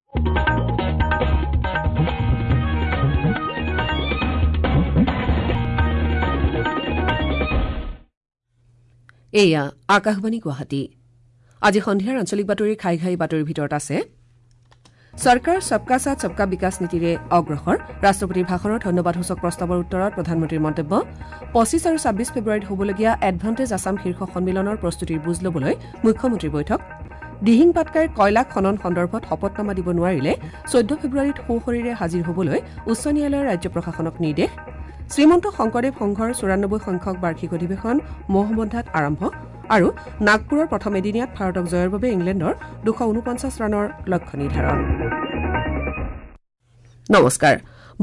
এয়া আকাশবাণী গুৱাহাটী। আজি সন্ধিয়াৰ আঞ্চলিক বাতৰিৰ ঘাই ঘাই বাতৰিৰ ভিতৰত আছে চৰকাৰ সবকা সাথ সবকা বিকাশ নীতিৰে অগ্ৰসৰ, ৰাষ্ট্ৰপতিৰ ভাষণৰ ধন্যবাদসূচক প্ৰস্তাৱৰ উত্তৰত প্ৰধানমন্ত্ৰীৰ মন্তব্য, 25 আৰু 26 ফেব্ৰুৱাৰীত হ'বলগীয়া এডভান্টেজ আছাম শীৰ্ষ সন্মিলনৰ প্ৰস্তুতিৰ বুজ ল'বলৈ মুখ্যমন্ত্ৰীৰ বৈঠক, দিহিং পাটকাইৰ কয়লা খনন সন্দৰ্ভত শপতনামা দিব নোৱাৰিলে 14 ফেব্ৰুৱাৰীত সোঁশৰীৰে হাজিৰ হ'বলৈ উচ্চ ন্যায়ালয়ৰ ৰাজ্য প্ৰশাসনক নিৰ্দেশ, শ্ৰীমন্ত শংকৰদেৱ সংঘৰ 94 সংখ্যক বাৰ্ষিক অধিৱেশন মহবন্ধাত আৰম্ভ আৰু নাগপুৰৰ প্ৰথম এদিনীয়াত ভাৰতক জয়ৰ বাবে ইংলেণ্ডৰ 249 ৰানৰ লক্ষ্য নিৰ্ধাৰণ। নমস্কাৰ,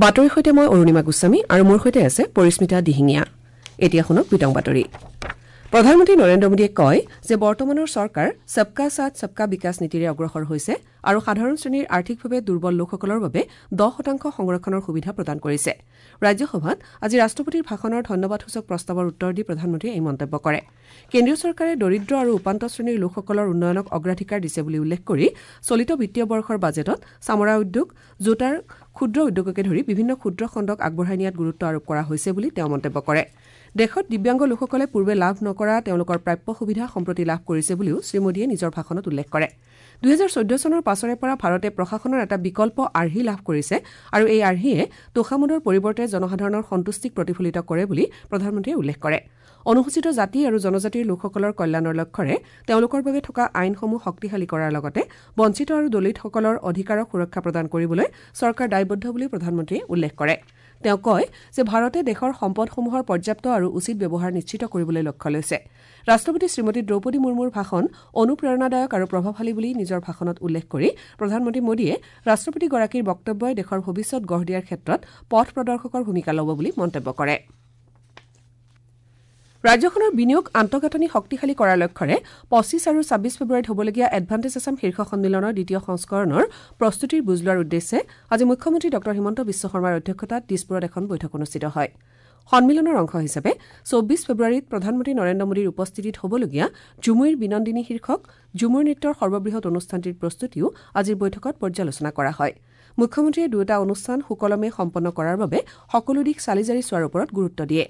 বাতৰিৰ সৈতে মই অৰুণিমা গোস্বামী আৰু মোৰ সৈতে আছে পৰিস্মিতা দিহিঙীয়া। এতিয়া শুনক বিতং বাতৰি। প্ৰধানমন্ত্ৰী নৰেন্দ্ৰ মোদীয়ে কয় যে বৰ্তমানৰ চৰকাৰ সবকা সাথ সবকা বিকাশ নীতিৰে অগ্ৰসৰ হৈছে আৰু সাধাৰণ শ্ৰেণীৰ আৰ্থিকভাৱে দুৰ্বল লোকসকলৰ বাবে 10% সংৰক্ষণৰ সুবিধা প্ৰদান কৰিছে। ৰাজ্যসভাত আজি ৰাষ্ট্ৰপতিৰ ভাষণৰ ধন্যবাদসূচক প্ৰস্তাৱৰ উত্তৰ দি প্ৰধানমন্ত্ৰীয়ে এই মন্তব্য কৰে। কেন্দ্ৰীয় চৰকাৰে দৰিদ্ৰ আৰু উপান্ত শ্ৰেণীৰ লোকসকলৰ উন্নয়নক অগ্ৰাধিকাৰ দিছে বুলি উল্লেখ কৰি চলিত বিত্তীয় বৰ্ষৰ বাজেটত চামৰা উদ্যোগ, জোতাৰ ক্ষুদ্ৰ উদ্যোগকে ধৰি বিভিন্ন ক্ষুদ্ৰ খণ্ডক আগবঢ়াই নিয়াত গুৰুত্ব আৰোপ কৰা হৈছে বুলি তেওঁ মন্তব্য কৰে। দেশত দিব্যাংগ লোকসকলে পূৰ্বে লাভ নকৰা তেওঁলোকৰ প্ৰাপ্য সুবিধা সম্প্ৰতি লাভ কৰিছে বুলিও শ্ৰীমোদীয়ে নিজৰ ভাষণত উল্লেখ কৰে। 2014 চনৰ পাছৰে পৰা ভাৰতে প্ৰশাসনৰ এটা বিকল্প আৰ্হি লাভ কৰিছে আৰু এই আৰ্হিয়ে তোষামোদৰ পৰিৱৰ্তে জনসাধাৰণৰ সন্তুষ্টিক প্ৰতিফলিত কৰে বুলি প্ৰধানমন্ত্ৰীয়ে উল্লেখ কৰে। অনুসূচিত জাতি আৰু জনজাতিৰ লোকসকলৰ কল্যাণৰ লক্ষ্যৰে তেওঁলোকৰ বাবে থকা আইনসমূহ শক্তিশালী কৰাৰ লগতে বঞ্চিত আৰু দলিতসকলৰ অধিকাৰক সুৰক্ষা প্ৰদান কৰিবলৈ চৰকাৰ দায়বদ্ধ বুলি প্ৰধানমন্ত্ৰীয়ে উল্লেখ কৰে। তেওঁ কয় যে ভাৰতে দেশৰ সম্পদসমূহৰ পৰ্যাপ্ত আৰু উচিত ব্যৱহাৰ নিশ্চিত কৰিবলৈ লক্ষ্য লৈছে। ৰাষ্ট্ৰপতি শ্ৰীমতী দ্ৰৌপদী মুৰ্মুৰ ভাষণ অনুপ্ৰেৰণাদায়ক আৰু প্ৰভাৱশালী বুলি নিজৰ ভাষণত উল্লেখ কৰি প্ৰধানমন্ত্ৰী মোদীয়ে ৰাষ্ট্ৰপতিগৰাকীৰ বক্তব্যই দেশৰ ভৱিষ্যত গঢ় দিয়াৰ ক্ষেত্ৰত পথ প্ৰদৰ্শকৰ ভূমিকা ল'ব বুলি মন্তব্য কৰে। ৰাজ্যখনৰ বিনিয়োগ আন্তঃগাঁথনি শক্তিশালী কৰাৰ লক্ষ্যৰে 25 আৰু 26 ফেব্ৰুৱাৰীত হ'বলগীয়া এডভান্টেজ আছাম শীৰ্ষ সন্মিলনৰ দ্বিতীয় সংস্কৰণৰ প্ৰস্তুতিৰ বুজ লোৱাৰ উদ্দেশ্যে আজি মুখ্যমন্ত্ৰী ডঃ হিমন্ত বিশ্ব শৰ্মাৰ অধ্যক্ষতাত দিছপুৰত এখন বৈঠক অনুষ্ঠিত হয়। সন্মিলনৰ অংশ হিচাপে 24 ফেব্ৰুৱাৰীত প্ৰধানমন্ত্ৰী নৰেন্দ্ৰ মোদীৰ উপস্থিতিত হ'বলগীয়া ঝুমুইৰ বিনন্দিনী শীৰ্ষক ঝুমুৰ নৃত্যৰ সৰ্ববৃহৎ অনুষ্ঠানটিৰ প্ৰস্তুতিও আজিৰ বৈঠকত পৰ্যালোচনা কৰা হয়। মুখ্যমন্ত্ৰীয়ে দুয়োটা অনুষ্ঠান সুকলমে সম্পন্ন কৰাৰ বাবে সকলো দিশ চালিজাৰি চোৱাৰ ওপৰত গুৰুত্ব দিয়ে।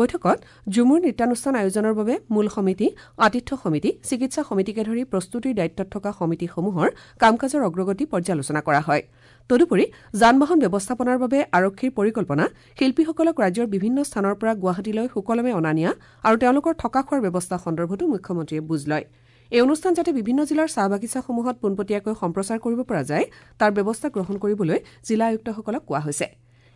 বৈঠকত ঝুমুৰ নৃত্যানুষ্ঠান আয়োজনৰ বাবে মূল সমিতি, আতিথ্য সমিতি, চিকিৎসা সমিতিকে ধৰি প্ৰস্তুতিৰ দায়িত্বত থকা সমিতিসমূহৰ কাম কাজৰ অগ্ৰগতি পৰ্যালোচনা কৰা হয়। তদুপৰি যান বাহন ব্যৱস্থাপনাৰ বাবে আৰক্ষীৰ পৰিকল্পনা, শিল্পীসকলক ৰাজ্যৰ বিভিন্ন স্থানৰ পৰা গুৱাহাটীলৈ সুকলমে অনা নিয়া আৰু তেওঁলোকৰ থকা খোৱাৰ ব্যৱস্থা সন্দৰ্ভতো মুখ্যমন্ত্ৰীয়ে বুজ লয়। এই অনুষ্ঠান যাতে বিভিন্ন জিলাৰ চাহ বাগিচাসমূহত পোনপটীয়াকৈ সম্প্ৰচাৰ কৰিব পৰা যায় তাৰ ব্যৱস্থা গ্ৰহণ কৰিবলৈ জিলা আয়ুক্তসকলক কোৱা হৈছে।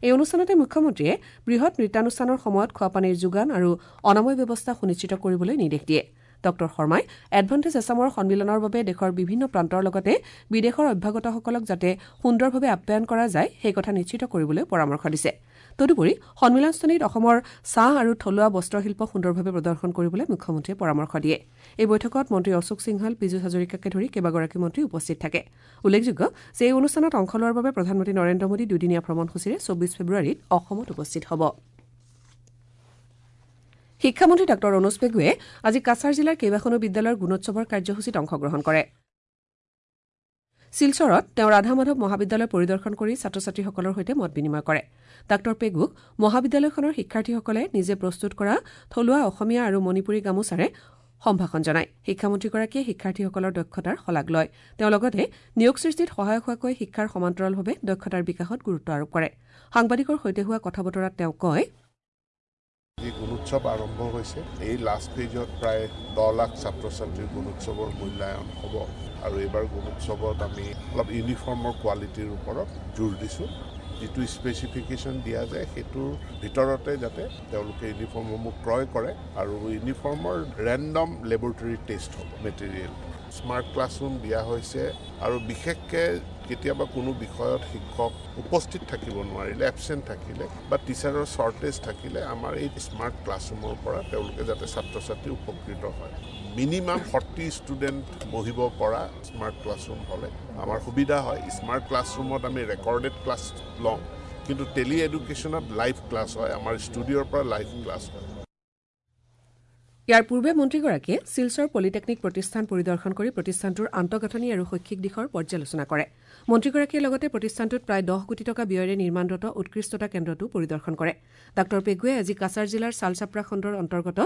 এই অনুষ্ঠানতে মুখ্যমন্ত্ৰীয়ে বৃহৎ নৃত্যানুষ্ঠানৰ সময়ত খোৱাপানীৰ যোগান আৰু অনাময় ব্যৱস্থা সুনিশ্চিত কৰিবলৈ নিৰ্দেশ দিয়ে। ডঃ শৰ্মাই এডভান্টেজ আছামৰ সন্মিলনৰ বাবে দেশৰ বিভিন্ন প্ৰান্তৰ লগতে বিদেশৰ অভ্যাগতসকলক যাতে সুন্দৰভাৱে আপ্যায়ন কৰা যায় সেই কথা নিশ্চিত কৰিবলৈ পৰামৰ্শ দিছে। তদুপৰি সন্মিলনস্থলীত অসমৰ চাহ আৰু থলুৱা বস্ত্ৰশিল্প সুন্দৰভাৱে প্ৰদৰ্শন কৰিবলৈ মুখ্যমন্ত্ৰীয়ে পৰামৰ্শ দিয়ে। এই বৈঠকত মন্ত্ৰী অশোক সিংহাল, পীযুষ হাজৰিকাকে ধৰি কেইবাগৰাকী মন্ত্ৰী উপস্থিত থাকে। উল্লেখযোগ্য যে এই অনুষ্ঠানত অংশ লোৱাৰ বাবে প্ৰধানমন্ত্ৰী নৰেন্দ্ৰ মোদী দুদিনীয়া ভ্ৰমণসূচীৰে 24 ফেব্ৰুৱাৰীত অসমত উপস্থিত হ'ব। শিক্ষামন্ত্ৰী ডঃ ৰণোজ পেগুৱে আজি কাছাৰ জিলাৰ কেইবাখনো বিদ্যালয়ৰ গুণোৎসৱৰ কাৰ্যসূচীত অংশগ্ৰহণ কৰে। শিলচৰত তেওঁ ৰাধা মাধৱ মহাবিদ্যালয় পৰিদৰ্শন কৰি ছাত্ৰ ছাত্ৰীসকলৰ সৈতে মত বিনিময় কৰে। ডাঃ পেগুক মহাবিদ্যালয়খনৰ শিক্ষাৰ্থীসকলে নিজে প্ৰস্তুত কৰা থলুৱা অসমীয়া আৰু মণিপুৰী গামোচাৰে সম্ভাষণ জনায়। শিক্ষামন্ত্ৰীগৰাকীয়ে শিক্ষাৰ্থীসকলৰ দক্ষতাৰ শলাগ লয়। তেওঁ লগতে নিয়োগ সৃষ্টিত সহায়ক হোৱাকৈ শিক্ষাৰ সমান্তৰালভাৱে দক্ষতাৰ বিকাশত গুৰুত্ব আৰোপ কৰে। সাংবাদিকৰ সৈতে হোৱা কথা বতৰাত তেওঁ কয়, যি গুণোৎসৱ আৰম্ভ হৈছে এই লাষ্ট ফেজত প্ৰায় 10 লাখ ছাত্ৰ ছাত্ৰীৰ গুণোৎসৱৰ মূল্যায়ন হ'ব আৰু এইবাৰ গুণোৎসৱত আমি অলপ ইউনিফৰ্মৰ কোৱালিটিৰ ওপৰত জোৰ দিছোঁ। যিটো স্পেচিফিকেশ্যন দিয়া যায় সেইটোৰ ভিতৰতে যাতে তেওঁলোকে ইউনিফৰ্মসমূহ ক্ৰয় কৰে আৰু ইউনিফৰ্মৰ ৰেণ্ডম লেবৰেটৰী টেষ্ট হ'ব। মেটেৰিয়েল স্মাৰ্ট ক্লাছৰুম দিয়া হৈছে আৰু বিশেষকৈ কেতিয়াবা কোনো বিষয়ত শিক্ষক উপস্থিত থাকিব নোৱাৰিলে, এবচেণ্ট থাকিলে বা টিচাৰৰ শ্বৰ্টেজ থাকিলে আমাৰ এই স্মাৰ্ট ক্লাছৰুমৰ পৰা তেওঁলোকে যাতে ছাত্ৰ ছাত্ৰী উপকৃত হয়। মিনিমাম 40 ষ্টুডেণ্ট বহিব পৰা স্মাৰ্ট ক্লাছৰুম হ'লে আমাৰ সুবিধা হয়। স্মাৰ্ট ক্লাছৰুমত আমি ৰেকৰ্ডেড ক্লাছ লওঁ, কিন্তু টেলি এডুকেশ্যনত লাইভ ক্লাছ হয়, আমাৰ ষ্টুডিঅ'ৰ পৰা লাইভ ক্লাছ হয়। ইয়াৰ পূৰ্বে মন্ত্ৰীগৰাকীয়ে শিলচৰ পলিটেকনিক প্ৰতিষ্ঠান পৰিদৰ্শন কৰি প্ৰতিষ্ঠানটোৰ আন্তঃগাঁথনি আৰু শৈক্ষিক দিশৰ পৰ্যালোচনা কৰে। মন্ত্ৰীগৰাকীয়ে লগতে প্ৰতিষ্ঠানটোত প্ৰায় 10 কোটি টকা ব্যয়েৰে নিৰ্মাণৰত উৎকৃষ্টতা কেন্দ্ৰটো পৰিদৰ্শন কৰে। ডাঃ পেগুৱে আজি কাছাৰ জিলাৰ চালচাপৰা খণ্ডৰ অন্তৰ্গত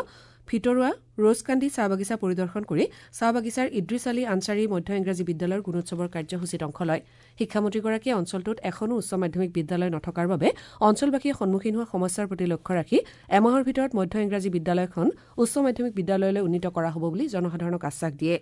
ভিতৰুৱা ৰোজকান্দি চাহ বাগিচা পৰিদৰ্শন কৰি চাহ বাগিচাৰ ইদ্ৰিছ আলী আনচাৰী মধ্য ইংৰাজী বিদ্যালয়ৰ গুণোৎসৱৰ কাৰ্যসূচীত অংশ লয়। শিক্ষামন্ত্ৰীগৰাকীয়ে অঞ্চলটোত এখনো উচ্চ মাধ্যমিক বিদ্যালয় নথকাৰ বাবে অঞ্চলবাসীয়ে সন্মুখীন হোৱা সমস্যাৰ প্ৰতি লক্ষ্য ৰাখি এমাহৰ ভিতৰত মধ্য ইংৰাজী বিদ্যালয়খন উচ্চ মাধ্যমিক বিদ্যালয়লৈ উন্নীত কৰা হ'ব বুলি জনসাধাৰণক আশ্বাস দিয়ে।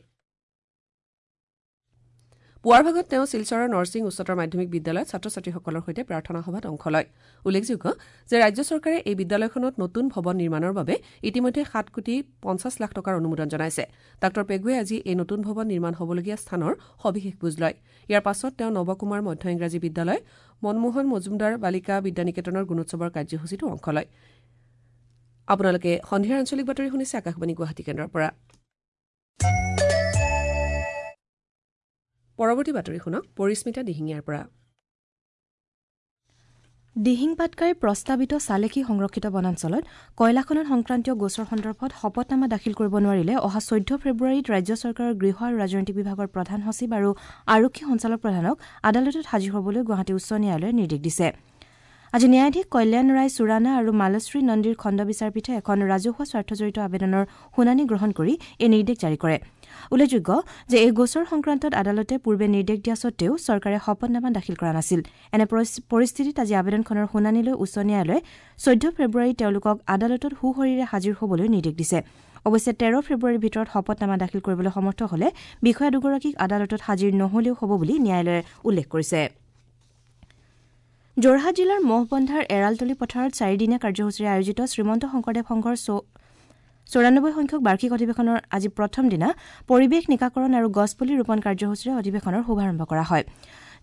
পুৱাৰ ভাগত তেওঁ শিলচৰৰ নৰসিং উচ্চতৰ মাধ্যমিক বিদ্যালয়ত ছাত্ৰ ছাত্ৰীসকলৰ সৈতে প্ৰাৰ্থনা সভাত অংশ লয়। উল্লেখযোগ্য যে ৰাজ্য চৰকাৰে এই বিদ্যালয়খনত নতুন ভৱন নিৰ্মাণৰ বাবে ইতিমধ্যে 7 কোটি 50 লাখ টকাৰ অনুমোদন জনাইছে। ডাঃ পেগুৱে আজি এই নতুন ভৱন নিৰ্মাণ হ'বলগীয়া স্থানৰ সবিশেষ বুজ লয়। ইয়াৰ পাছত তেওঁ নৱকুমাৰ মধ্য ইংৰাজী বিদ্যালয়, মনমোহন মজুমদাৰ বালিকা বিদ্যানিকেতনৰ গুণোৎসৱৰ কাৰ্যসূচীতো অংশ লয়। আপোনালোকে সন্ধিয়াৰ আঞ্চলিক বাতৰি শুনিছে আকাশবাণী গুৱাহাটী কেন্দ্ৰৰ পৰা। পৰৱৰ্তী বাতৰি শুনক পৰিস্মিতা দিহিঙীয়াৰ পৰা। দিহিং পাটকাইৰ প্ৰস্তাৱিত চালেকি সংৰক্ষিত বনাঞ্চলত কয়লা খনন সংক্ৰান্তীয় গোচৰ সন্দৰ্ভত শপতনামা দাখিল কৰিব নোৱাৰিলে অহা 14 ফেব্ৰুৱাৰীত ৰাজ্য চৰকাৰৰ গৃহ আৰু ৰাজনৈতিক বিভাগৰ প্ৰধান সচিব আৰু আৰক্ষী সঞ্চালক প্ৰধানক আদালতত হাজিৰ হ'বলৈ গুৱাহাটী উচ্চ ন্যায়ালয়ে নিৰ্দেশ দিছে। আজি ন্যায়াধীশ কল্যাণ ৰায় চুৰানা আৰু মালশ্ৰী নন্দীৰ খণ্ড বিচাৰপীঠে এখন ৰাজহুৱা স্বাৰ্থজড়িত আবেদনৰ শুনানি গ্ৰহণ কৰি এই নিৰ্দেশ জাৰি কৰে। উল্লেখযোগ্য যে এই গোচৰ সংক্ৰান্তত আদালতে পূৰ্বে নিৰ্দেশ দিয়া সত্ত্বেও চৰকাৰে শপতনামা দাখিল কৰা নাছিল। এনে পৰিস্থিতিত আজি আবেদনখনৰ শুনানিলৈ উচ্চ ন্যায়ালয়ে 14 ফেব্ৰুৱাৰীত তেওঁলোকক আদালতত সুশৰীৰে হাজিৰ হ'বলৈ নিৰ্দেশ দিছে। অৱশ্যে 13 ফেব্ৰুৱাৰীৰ ভিতৰত শপতনামা দাখিল কৰিবলৈ সমৰ্থ হ'লে বিষয়া দুগৰাকীক আদালতত হাজিৰ নহ'লেও হ'ব বুলি ন্যায়ালয়ে উল্লেখ কৰিছে। যোৰহাট জিলাৰ মহবন্ধাৰ এৰালতলী পথাৰত চাৰিদিনীয়া কাৰ্যসূচীৰে আয়োজিত শ্ৰীমন্ত শংকৰদেৱ সংঘৰ 94 সংখ্যক বাৰ্ষিক অধিৱেশনৰ আজি প্ৰথম দিনা পৰিৱেশ নিকাকৰণ আৰু গছপুলি ৰোপণ কাৰ্যসূচীৰে অধিৱেশনৰ শুভাৰম্ভ কৰা হয়।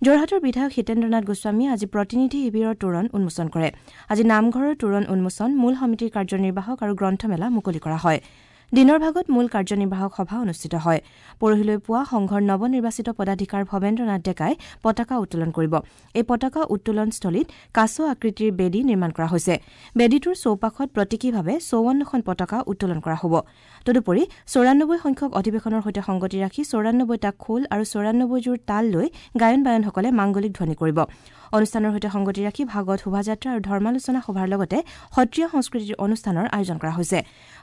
যোৰহাটৰ বিধায়ক হিতেন্দ্ৰনাথ গোস্বামীয়ে আজি প্ৰতিনিধি শিবিৰৰ তোৰণ উন্মোচন কৰে। আজি নামঘৰৰ তোৰণ উন্মোচন, মূল সমিতিৰ কাৰ্যনিৰ্বাহক আৰু গ্ৰন্থমেলা মুকলি কৰা হয়। দিনৰ ভাগত মূল কাৰ্যনিৰ্বাহক সভা অনুষ্ঠিত হয়। পৰহিলৈ পুৱা সংঘৰ নৱনিৰ্বাচিত পদাধিকাৰ ভৱেন্দ্ৰনাথ ডেকাই পতাকা উত্তোলন কৰিব। এই পতাকা উত্তোলনস্থলীত কাছ আকৃতিৰ বেদী নিৰ্মাণ কৰা হৈছে। বেদীটোৰ চৌপাশত প্ৰতীকীভাৱে 54খন পতাকা উত্তোলন কৰা হ'ব। তদুপৰি 94 সংখ্যক অধিৱেশনৰ সৈতে সংগতি ৰাখি 94টা খোল আৰু 94যোৰ তাল লৈ গায়ন বায়নসকলে মাংগলিক ধ্বনি কৰিব। অনুষ্ঠানৰ সৈতে সংগতি ৰাখি ভাগৱত শোভাযাত্ৰা আৰু ধৰ্মালোচনা সভাৰ লগতে সত্ৰীয়া সংস্কৃতিৰ অনুষ্ঠানৰ আয়োজন কৰা হৈছে।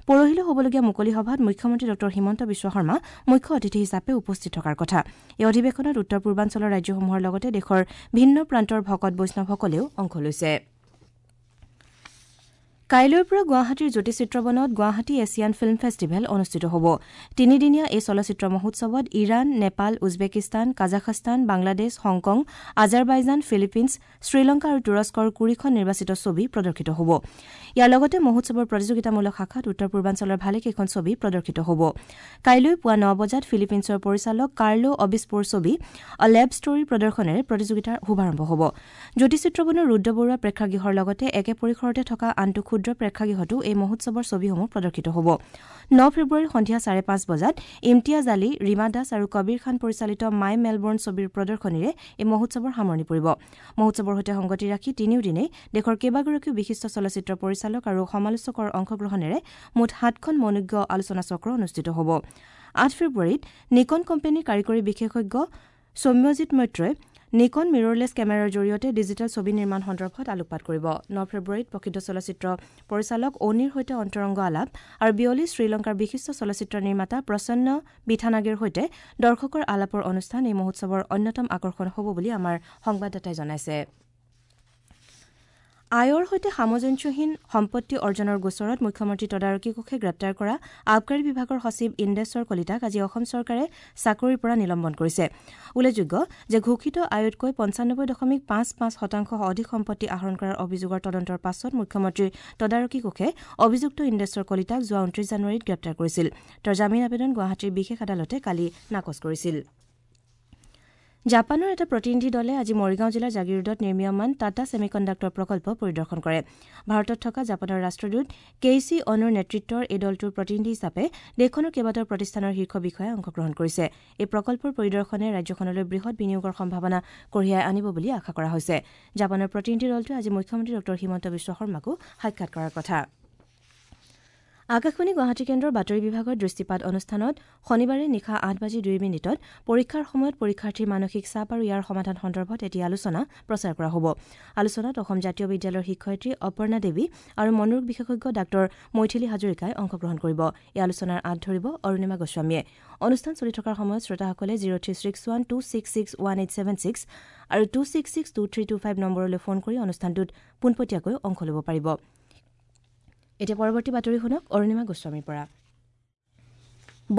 পৰহিলৈ হ'বলগীয়া মুকলি সভাত মুখ্যমন্ত্ৰী ডঃ হিমন্ত বিশ্ব শৰ্মা মুখ্য অতিথি হিচাপে উপস্থিত থকাৰ কথা। এই অধিৱেশনত উত্তৰ পূৰ্বাঞ্চলৰ ৰাজ্যসমূহৰ লগতে দেশৰ ভিন্ন প্ৰান্তৰ ভকত বৈষ্ণৱসকলেও অংশ লৈছে। কাইলৈৰ পৰা গুৱাহাটীৰ জ্যোতি চিত্ৰবনত গুৱাহাটী এছিয়ান ফিল্ম ফেষ্টিভেল অনুষ্ঠিত হ'ব। তিনিদিনীয়া এই চলচ্চিত্ৰ মহোৎসৱত Iran, Nepal, Uzbekistan, Kazakhstan, Bangladesh, Hong Kong, Azerbaijan, Philippines, Sri Lanka আৰু তুৰস্কৰ 20খন নিৰ্বাচিত ছবি প্ৰদৰ্শিত হ'ব। ইয়াৰ লগতে মহোৎসৱৰ প্ৰতিযোগিতামূলক শাখাত উত্তৰ পূৰ্বাঞ্চলৰ ভালেকেইখন ছবি প্ৰদৰ্শিত হ'ব। কাইলৈ পুৱা 9 বজাত ফিলিপিনছৰ পৰিচালক কাৰ্লো অবিস্পোৰ ছবি আ লেব ষ্টৰী প্ৰদৰ্শনেৰে প্ৰতিযোগিতাৰ শুভাৰম্ভ হ'ব। জ্যোতি চিত্ৰবনৰ ৰুদ্ৰ বৰুৱা প্ৰেক্ষাগৃহৰ লগতে একে পৰিসৰতে থকা আনটো ক্ষুদ্ৰ প্ৰেক্ষাগৃহতো এই মহোৎসৱৰ ছবিসমূহ প্ৰদৰ্শিত হ'ব। 9 ফেব্ৰুৱাৰীৰ সন্ধিয়া 5:30 বজাত ইমতিয়াজ আলী, ৰীমা দাস আৰু কবিৰ খান পৰিচালিত মাই মেলবৰ্ণ ছবিৰ প্ৰদৰ্শনীৰে এই মহোৎসৱৰ সামৰণি পৰিব। মহোৎসৱৰ সৈতে সংগতি ৰাখি তিনিওদিনেই দেশৰ কেইবাগৰাকীও বিশিষ্ট চলচ্চিত্ৰ পৰিচালক আৰু সমালোচকৰ অংশগ্ৰহণেৰে মুঠ 7খন মনোজ্ঞ আলোচনাচক্ৰ অনুষ্ঠিত হ'ব। 8 ফেব্ৰুৱাৰীত নিকন কোম্পানীৰ কাৰিকৰী বিশেষজ্ঞ সৌম্যজিৎ মৈত্ৰই নিকন মিৰৰলেছ কেমেৰাৰ জৰিয়তে ডিজিটেল ছবি নিৰ্মাণ সন্দৰ্ভত আলোকপাত কৰিব। 9 ফেব্ৰুৱাৰীত প্ৰসিদ্ধ চলচ্চিত্ৰ পৰিচালক অনিৰ সৈতে অন্তৰংগ আলাপ আৰু বিয়লি শ্ৰীলংকাৰ বিশিষ্ট চলচ্চিত্ৰ নিৰ্মাতা প্ৰসন্ন বিথানাগেৰ সৈতে দৰ্শকৰ আলাপৰ অনুষ্ঠান এই মহোৎসৱৰ অন্যতম আকৰ্ষণ হ'ব বুলি আমাৰ সংবাদদাতাই জনাইছে। আয়ৰ সৈতে সামঞ্জস্যহীন সম্পত্তি অৰ্জনৰ গোচৰত মুখ্যমন্ত্ৰী তদাৰকী কোষে গ্ৰেপ্তাৰ কৰা আবকাৰী বিভাগৰ সচিব ইন্দেশ্বৰ কলিতাক আজি অসম চৰকাৰে চাকৰিৰ পৰা নিলম্বন কৰিছে। উল্লেখযোগ্য যে ঘোষিত আয়তকৈ 95.55% অধিক সম্পত্তি আহৰণ কৰাৰ অভিযোগৰ তদন্তৰ পাছত মুখ্যমন্ত্ৰীৰ তদাৰকী কোষে অভিযুক্ত ইন্দেশ্বৰ কলিতাক যোৱা 29 জানুৱাৰীত গ্ৰেপ্তাৰ কৰিছিল। তেওঁৰ জামিন আবেদন গুৱাহাটীৰ বিশেষ আদালতে কালি নাকচ কৰিছিল। জাপানৰ এটা প্ৰতিনিধি দলে আজি মৰিগাঁও জিলাৰ জাগিৰোডত নিৰ্মীয়মান টাটা ছেমিকণ্ডাক্টৰ প্ৰকল্প পৰিদৰ্শন কৰে। ভাৰতত থকা জাপানৰ ৰাষ্ট্ৰদূত কেইচি অনুৰ নেতৃত্বৰ এই দলটোৰ প্ৰতিনিধি হিচাপে দেশখনৰ কেইবাটাও প্ৰতিষ্ঠানৰ শীৰ্ষ বিষয়াই অংশগ্ৰহণ কৰিছে। এই প্ৰকল্পৰ পৰিদৰ্শনে ৰাজ্যখনলৈ বৃহৎ বিনিয়োগৰ সম্ভাৱনা কঢ়িয়াই আনিব বুলি আশা কৰা হৈছে। জাপানৰ প্ৰতিনিধি দলটোৱে আজি মুখ্যমন্ত্ৰী ডঃ হিমন্ত বিশ্ব শৰ্মাকো সাক্ষাৎ কৰাৰ কথা। আকাশবাণী গুৱাহাটী কেন্দ্ৰৰ বাতৰি বিভাগৰ দৃষ্টিপাত অনুষ্ঠানত শনিবাৰে নিশা ৮:০২ পৰীক্ষাৰ সময়ত পৰীক্ষাৰ্থীৰ মানসিক চাপ আৰু ইয়াৰ সমাধান সন্দৰ্ভত এটি আলোচনা প্ৰচাৰ কৰা হ'ব। আলোচনাত অসম জাতীয় বিদ্যালয়ৰ শিক্ষয়িত্ৰী অপৰ্ণা দেৱী আৰু মনোৰোগ বিশেষজ্ঞ ডাঃ মৈথিলী হাজৰিকাই অংশগ্ৰহণ কৰিব। এই আলোচনাৰ আঁত ধৰিব অৰুণিমা গোস্বামীয়ে। অনুষ্ঠান চলি থকাৰ সময়ত শ্ৰোতাসকলে 0361 266 1876 আৰু 266 2325 নম্বৰলৈ ফোন কৰি অনুষ্ঠানটোত পোনপটীয়াকৈ অংশ ল'ব পাৰিব। এতিয়া পৰৱৰ্তী বাতৰি শুনক অৰুণিমা গোস্বামীৰ পৰা।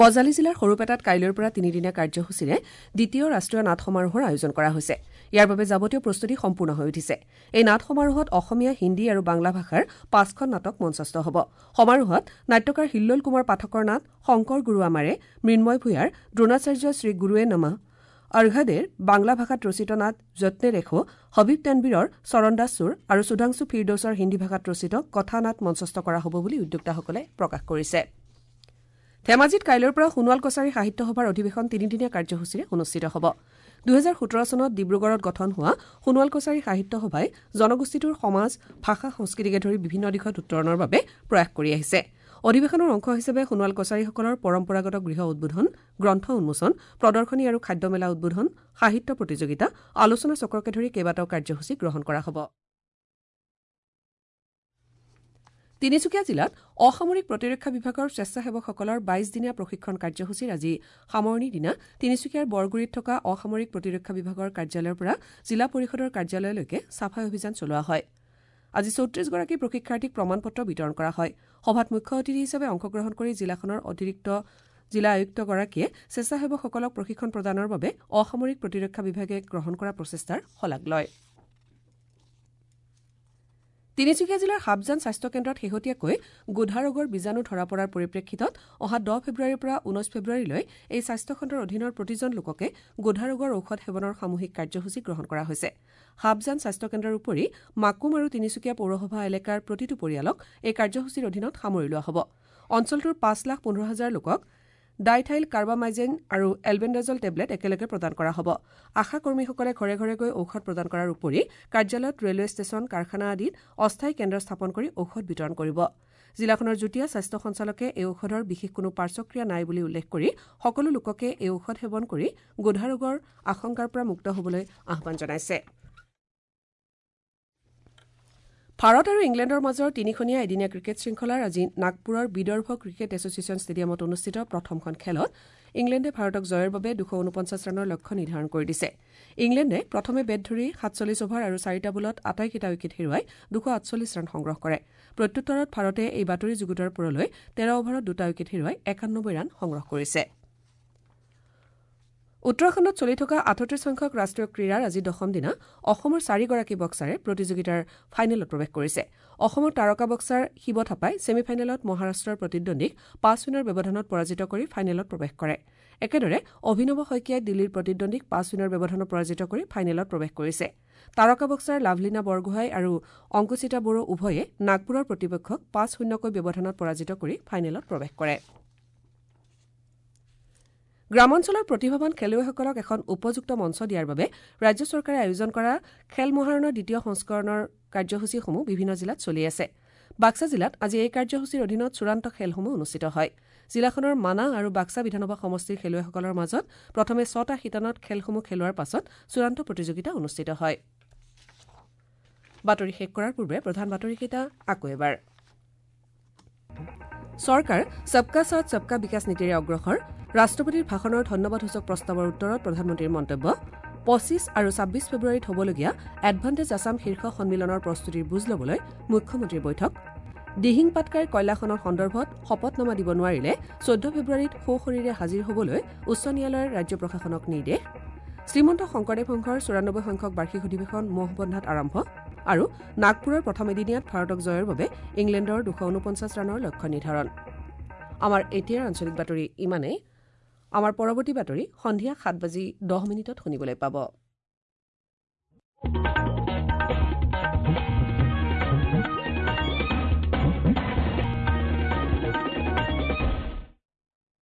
বজালী জিলাৰ সৰুপেটাত কাইলৈৰ পৰা তিনিদিনীয়া কাৰ্যসূচীৰে দ্বিতীয় ৰাষ্ট্ৰীয় নাট সমাৰোহৰ আয়োজন কৰা হৈছে। ইয়াৰ বাবে যাৱতীয় প্ৰস্তুতি সম্পূৰ্ণ হৈ উঠিছে। এই নাট সমাৰোহত অসমীয়া, হিন্দী আৰু বাংলা ভাষাৰ ৫খন নাটক মঞ্চস্থ হ'ব। সমাৰোহত নাট্যকাৰ হিল্লোল কুমাৰ পাঠকৰ নাট শংকৰ গুৰু আমাৰে, মৃন্ময় ভূঞাৰ দ্ৰোণাচাৰ্য শ্ৰী গুৰুৱে নমঃ, অৰ্ঘাদেৰ বাংলা ভাষাত ৰচিত নাট যত্নে ৰেখো, হবিব তানবীৰৰ চৰণদাস চুৰ আৰু সুধাংশু ফিৰদৌছৰ হিন্দী ভাষাত ৰচিত কথা নাট মঞ্চস্থ কৰা হ'ব বুলি উদ্যোক্তাসকলে প্ৰকাশ কৰিছে। ধেমাজিত কাইলৈৰ পৰা সোণোৱাল কছাৰী সাহিত্য সভাৰ অধিৱেশন তিনিদিনীয়া কাৰ্যসূচীৰে অনুষ্ঠিত হ'ব। ২০১৭ চনত ডিব্ৰুগড়ত গঠন হোৱা সোণোৱাল কছাৰী সাহিত্য সভাই জনগোষ্ঠীটোৰ সমাজ, ভাষা, সংস্কৃতিকে ধৰি বিভিন্ন দিশত উত্তৰণৰ বাবে প্ৰয়াস কৰি আহিছে। অধিৱেশনৰ অংশ হিচাপে সোণোৱাল কছাৰীসকলৰ পৰম্পৰাগত গৃহ উদ্বোধন, গ্ৰন্থ উন্মোচন, প্ৰদৰ্শনী আৰু খাদ্য মেলা উদ্বোধন, সাহিত্য প্ৰতিযোগিতা, আলোচনা চক্ৰকে ধৰি কেইবাটাও কাৰ্যসূচী গ্ৰহণ কৰা হ'ব। তিনিচুকীয়া জিলাত অসামৰিক প্ৰতিৰক্ষা বিভাগৰ স্বেচ্ছাসেৱকসকলৰ ২২ দিনীয়া প্ৰশিক্ষণ কাৰ্যসূচীৰ আজি সামৰণিৰ দিনা তিনিচুকীয়াৰ বৰগুৰিত থকা অসামৰিক প্ৰতিৰক্ষা বিভাগৰ কাৰ্যালয়ৰ পৰা জিলা পৰিষদৰ কাৰ্যালয়লৈকে চাফাই অভিযান চলোৱা হয়। আজি ৩৪গৰাকী প্ৰশিক্ষাৰ্থীক প্ৰমাণপত্ৰ বিতৰণ কৰা হয়। সভাত মুখ্য অতিথি হিচাপে অংশগ্ৰহণ কৰি জিলাখনৰ অতিৰিক্ত জিলা আয়ুক্তগৰাকীয়ে স্বেচ্ছাসেৱকসকলক প্ৰশিক্ষণ প্ৰদানৰ বাবে অসামৰিক প্ৰতিৰক্ষা বিভাগে গ্ৰহণ কৰা প্ৰচেষ্টাৰ শলাগ লয়। তিনিচুকীয়া জিলাৰ হাবজান স্বাস্থ্য কেন্দ্ৰত শেহতীয়াকৈ গোধা ৰোগৰ বীজাণু ধৰা পৰাৰ পৰিপ্ৰেক্ষিতত অহা ১০ ফেব্ৰুৱাৰীৰ পৰা ১৯ ফেব্ৰুৱাৰীলৈ এই স্বাস্থ্যখণ্ডৰ অধীনৰ প্ৰতিজন লোককে গোধা ৰোগৰ ঔষধ সেৱনৰ সামূহিক কাৰ্যসূচী গ্ৰহণ কৰা হৈছে। হাবজান স্বাস্থ্যকেন্দ্ৰৰ উপৰি মাকুম আৰু তিনিচুকীয়া পৌৰসভা এলেকাৰ প্ৰতিটো পৰিয়ালক এই কাৰ্যসূচীৰ অধীনত সামৰি লোৱা হ'ব। অঞ্চলটোৰ ৫,১৫,০০০ লোকক ডাইথাইল কাৰ্বামাইজেন আৰু এলবেণ্ডাজল টেবলেট একেলগে প্ৰদান কৰা হ'ব। আশা কৰ্মীসকলে ঘৰে ঘৰে গৈ ঔষধ প্ৰদান কৰাৰ উপৰি কাৰ্যালয়ত, ৰেলৱে ষ্টেচন, কাৰখানা আদিত অস্থায়ী কেন্দ্ৰ স্থাপন কৰি ঔষধ বিতৰণ কৰিব। জিলাখনৰ যুটীয়া স্বাস্থ্য সঞ্চালকে এই ঔষধৰ বিশেষ কোনো পাৰ্শ্বক্ৰিয়া নাই বুলি উল্লেখ কৰি সকলো লোককে এই ঔষধ সেৱন কৰি গোধা ৰোগৰ আশংকাৰ পৰা মুক্ত হ'বলৈ আহ্বান জনাইছে। ভাৰত আৰু ইংলেণ্ডৰ মাজৰ তিনিখনীয়া এদিনীয়া ক্ৰিকেট শৃংখলাৰ আজি নাগপুৰৰ বিদৰ্ভ ক্ৰিকেট এছ'চিয়েশ্যন ষ্টেডিয়ামত অনুষ্ঠিত প্ৰথমখন খেলত ইংলেণ্ডে ভাৰতক জয়ৰ বাবে ২৪৯ ৰানৰ লক্ষ্য নিৰ্ধাৰণ কৰি দিছে। ইংলেণ্ডে প্ৰথমে বেট ধৰি ৪৭ অভাৰ আৰু ৪টা বলত আটাইকেইটা উইকেট হেৰুৱাই ২৪৮ ৰান সংগ্ৰহ কৰে। প্ৰত্যুত্তৰত ভাৰতে এই বাতৰি যুগুতৰ পৰলৈ ১৩ অভাৰত ২টা উইকেট হেৰুৱাই ৯১ ৰান সংগ্ৰহ কৰিছে। উত্তৰাখণ্ডত চলি থকা ৩৮ সংখ্যক ৰাষ্ট্ৰীয় ক্ৰীড়াৰ আজি দশম দিনা অসমৰ ৪গৰাকী বক্সাৰে প্ৰতিযোগিতাৰ ফাইনেলত প্ৰৱেশ কৰিছে। অসমৰ তাৰকা বক্সাৰ শিৱ থাপাই ছেমি ফাইনেলত মহাৰাষ্ট্ৰৰ প্ৰতিদ্বন্দ্বীক ৫-০ ব্যৱধানত পৰাজিত কৰি ফাইনেলত প্ৰৱেশ কৰে। একেদৰে অভিনৱ শইকীয়াই দিল্লীৰ প্ৰতিদ্বন্দ্বীক ৫-০ ব্যৱধানত পৰাজিত কৰি ফাইনেলত প্ৰৱেশ কৰিছে। তাৰকা বক্সাৰ লাভলীনা বৰগোহাঁই আৰু অংকুশিতা বড়ো উভয়ে নাগপুৰৰ প্ৰতিপক্ষক ৫-০ ব্যৱধানত পৰাজিত কৰি ফাইনেলত প্ৰৱেশ কৰে। গ্ৰামাঞ্চলৰ প্ৰতিভাৱান খেলুৱৈসকলক এখন উপযুক্ত মঞ্চ দিয়াৰ বাবে ৰাজ্য চৰকাৰে আয়োজন কৰা খেল মহাৰণৰ দ্বিতীয় সংস্কৰণৰ কাৰ্যসূচীসমূহ বিভিন্ন জিলাত চলি আছে। বাক্সা জিলাত আজি এই কাৰ্যসূচীৰ অধীনত চূড়ান্ত খেলসমূহ অনুষ্ঠিত হয়। জিলাখনৰ মানাহ আৰু বাক্সা বিধানসভা সমষ্টিৰ খেলুৱৈসকলৰ মাজত প্ৰথমে ৬টা শিতানত খেলসমূহ খেলোৱাৰ পাছত চূড়ান্ত প্ৰতিযোগিতা অনুষ্ঠিত হয়। বাতৰি শেষ কৰাৰ পূৰ্বে প্ৰধান বাতৰিকেইটা আকৌ এবাৰ। চৰকাৰ সবকা সাথ সবকা বিকাশ নীতিৰে অগ্ৰসৰ। ৰাষ্ট্ৰপতিৰ ভাষণৰ ধন্যবাদসূচক প্ৰস্তাৱৰ উত্তৰত প্ৰধানমন্ত্ৰীৰ মন্তব্য। ২৫ আৰু ২৬ ফেব্ৰুৱাৰীত হ'বলগীয়া এডভান্টেজ আছাম শীৰ্ষ সন্মিলনৰ প্ৰস্তুতিৰ বুজ ল'বলৈ মুখ্যমন্ত্ৰীৰ বৈঠক। দিহিং পাটকাইৰ কয়লাখনৰ সন্দৰ্ভত শপতনামা দিব নোৱাৰিলে ১৪ ফেব্ৰুৱাৰীত সোঁশৰীৰে হাজিৰ হ'বলৈ উচ্চ ন্যায়ালয়ৰ ৰাজ্য প্ৰশাসনক নিৰ্দেশ। শ্ৰীমন্ত শংকৰদেৱ সংঘৰ ৯৪ সংখ্যক বাৰ্ষিক অধিৱেশন মহবন্ধাত আৰম্ভ। আৰু নাগপুৰৰ প্ৰথম এদিনীয়াত ভাৰতক জয়ৰ বাবে ইংলেণ্ডৰ ২৪৯ ৰানৰ লক্ষ্য নিৰ্ধাৰণ। আমাৰ এতিয়াৰ আঞ্চলিক বাতৰি ইমানেই। আমাৰ পৰৱৰ্তী বাতৰি সন্ধিয়া ৭:১০ শুনিবলৈ পাব।